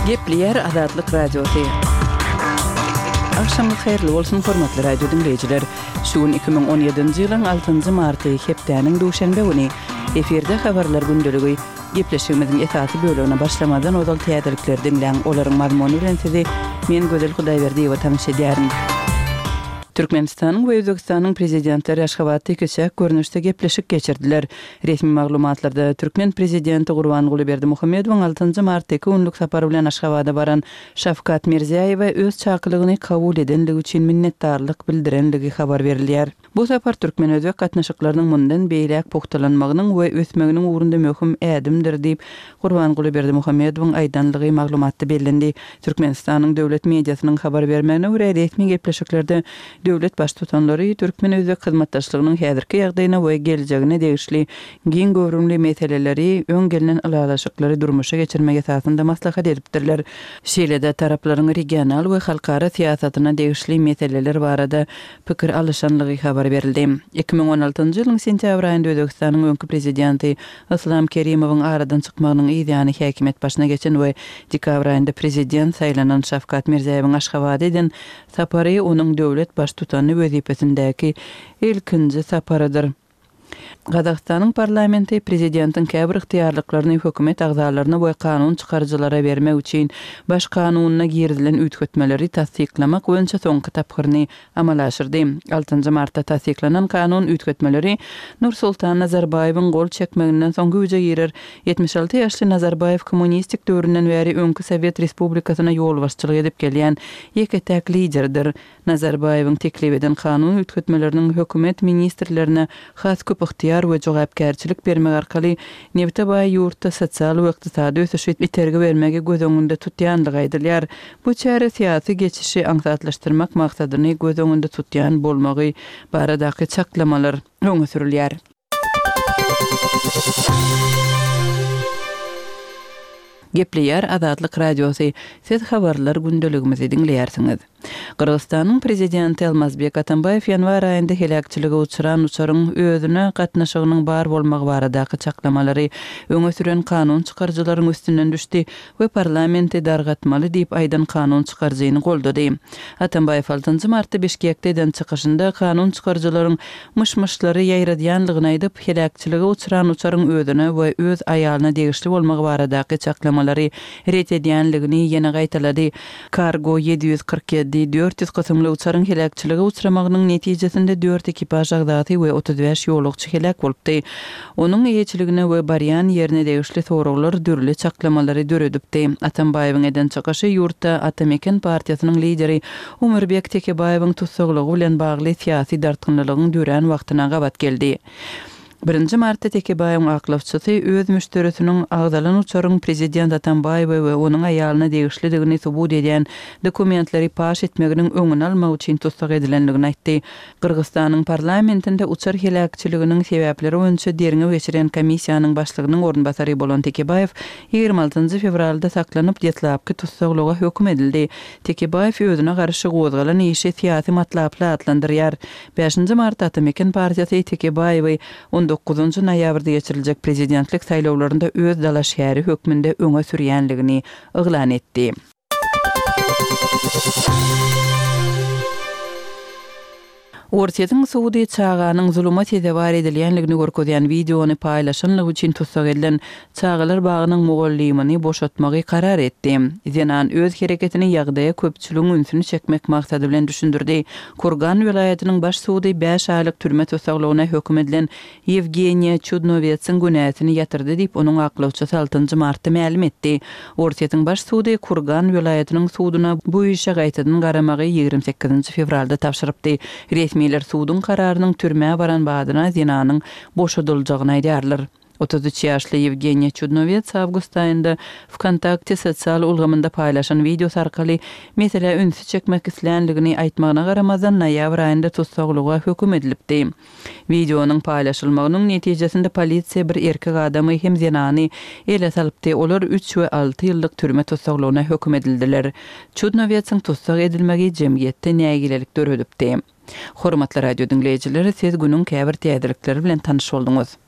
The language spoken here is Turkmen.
Gepleýär Azatlyk Radiosy. Agşamyňyz haýyrly bolsun, hormatly radio diňleýjiler! Şu gün 2017-nji ýylyň altynjy marty, hepdäniň duşenbe güni. Efirde Habarlar gündeligi. Gepleşigimiziň esasy bölegine başlamazdan ozal täzelikleri diňläň, olaryň mazmuny bilen sizi men Gözel Hudaýberdiýewa tanyş edýärin. Türkmenistanyň we Özbegistanyň Prezidentleri Aşgabatda ikiçäk görnüşde gepleşik geçirdiler. Resmi maglumatlarda türkmen Prezidenti Gurbanguly Berdimuhamedowyň altynjy martda iki günlük sapar bilen Aşgabada baran Şawkat Mirziýaýewe öz çakylygyny kabul edenligi üçin minnetdarlyk bildirenligi habar berilýär. Bu sapar türkmen-özbek gatnaşyklarynyň mundan beýläk pugtalanmagynyň we ösmeginiň ugrunda möhüm ädimdir diýip, Gurbanguly Berdimuhamedowyň aýdanlygy maglumatda bellendi. Türkmenistanyň döwlet mediasynyň habar bermegine görä, resmi gepleşiklerde döwlet Baştutanlary türkmen-özbek hyzmatdaşlygynyň häzirki ýagdaýyna we geljegine degişli giň göwrümli meseleleri öň gelnen ylalaşyklary durmuşa geçirmek esasynda maslahat edipdirler. Şeýle-de taraplaryň regional we halkara syýasatyna degişli meseleler barada pikir alyşanlygy habar berildi. 2016-njy ýylyň sentýabr aýynda Özbegistanyň öňki prezidenti Yslam Kerimowyň aradan çykmagynyň yz ýany häkimiýet başyna geçen we dekabr aýynda prezident saýlanan Şawkat Mirziýaýewiň Aşgabada eden sapary onuň döwlet baştutany wezipesindäki ilkinji saparydyr. Gazagystanyň parlamenti prezidentiň käbir ygtyýarlyklaryny hökümet agzalaryna we kanun çykaryjylara bermek üçin Baş kanunyna girizilen üýtgetmeleri tassyklamak boýunça soňky tapgyryny amala aşyrdy. Altynjy martda tassyklanan kanun üýtgetmeleri Nursultan Nazarbaýewiň gol çekmeginden soň güýje girer. 76 ýaşly Nazarbaýew kommunistik döwründen bäri öňki sowet respublikasyna ýolbaşçylyk edip gelýän ýeke-täk liderdir. Nazarbaýewiň teklip eden kanun üýtgetmeleriniň hökümet ministrlerine has köp ygtyýar we jogapkärçilik bermek arkaly nebite baý ýurtda sosial we ykdysady ösüşe itergi bermegi göz öňünde tutýandygy aýdylýar. Bu çäre syýasy geçişi aňsatlaşdyrmak maksadyny göz öňünde tutýan bolmagy baradaky çaklamalar öňe sürülýär. Gepleýär Azatlyk Radiosy, Siz habarlar gündeligimizi diňleýärsiňiz. Gyrgyzystanyň Prezidenti Almazbek Atambaýew ýanwar aýynda heläkçilige uçran uçaryň özüne gatnaşygynyň bar bolmagy baradaky çaklamalary öňe süren kanun çykaryjylaryň üstünden düşdi we parlamenti dargatmaly diýip aýdan kanun çykaryjyny goldady. Atambaýew altynjy martda Bişkekde eden çykyşynda kanun çykaryjylaryň myş-myşlary ýaýradýanlygyny aýdyp, heläkçilige uçran uçaryň özüne we öz aýalyna degişli bolmagy baradaky çaklamalary ret edýänligini ýene gaýtalady. Kargo 747, 400 kysymly uçaryň heläkçilige uçramagynyň netijesinde dört ekipaž agzasy we 35 ýolagçy heläk bolupdy. Onuň eýeçiligine we barýan ýerine degişli soraglar dürli çaklamalary döredipdi. Atambaýewiň eden çykyşy ýurtda Ata Meken partiýasynyň lideri Omurbek Tekebaýewiň tussaglygy bilen bagly syýasy dartgynlylygyň dörän wagtyna gabat geldi. Birinji martda Tekebaýewiň aklawçysy öz müşderisiniň agzalan uçaryň prezident Atambaýewe we onuň aýalyna degişlidigini subut edýän dokumentleri paş etmeginiň öňüni almak üçin tussag edilendigini aýtdy. Gyrgyzystanyň parlamentinde uçar heläkçiliginiň sebäpleri boýunça derňew geçirýän komissiýanyň başlygynyň orunbasary bolan Tekebaýew 26 fewralda saklanyp, deslapky tussaglyga höküm edildi. Tekebaýew özüne garşy gozgalan işi syýasy matlaply atlandyrýar. Bäşinji martda Ata-Meken partiýasy Tekebaýewi on dokuzynjy noýabrda geçiriljek prezidentlik saýlawlarynda öz dalaşgäri hökmünde öňe sürýänligini yglan etdi. Orsýetiň sudy çaganyň zuluma sezewar edilýänligini görkezýän wideony paýlaşanlygy üçin tussag edilen çagalar bagynyň mugallymyny boşatmagy karar etdi. Zenan öz hereketini ýagdaýa köpçüligiň ünsüni çekmek maksady bilen düşündirdi. Kurgan welaýatynyň baş sudy bäş aýlyk türme tussaglygyna höküm edilen Ýewgeniýa Çudnowetsiň günäsini ýatyrdy diýip, onuň aklawçysy altynjy martda mälim etdi. Orsýetiň baş sudy Kurgan welaýatynyň suduna bu işe gaýtadan garamagy 28-nji fewralda tabşyrypdy. Resmiler suduň kararynyň türmä baran badyna zenanyň boşadyljagyny aýdýarlar. 33 ýaşly Ýewgeniýa Çudnowets awgust aýynda Wkontakte sosial ulgamynda paýlaşan wideosy arkaly meselä ünsi çekmek islänligini aýtmagyna garamazdan, noýabr aýynda tussaglyga höküm edilipdi. Wideonyň paýlaşylmagynyň netijesinde polisiýa bir erkek adamy hem zenany ele salypdy, olar üç we alty ýyllyk türme tussaglygyna höküm edildiler. Çudnowetsiň tussag edilmegi jemgyýetde nägilelik döredipdi. Hormatly radio diňleýjiler, siz günüň käbir täzelikleri bilen tanyş bolduňyz.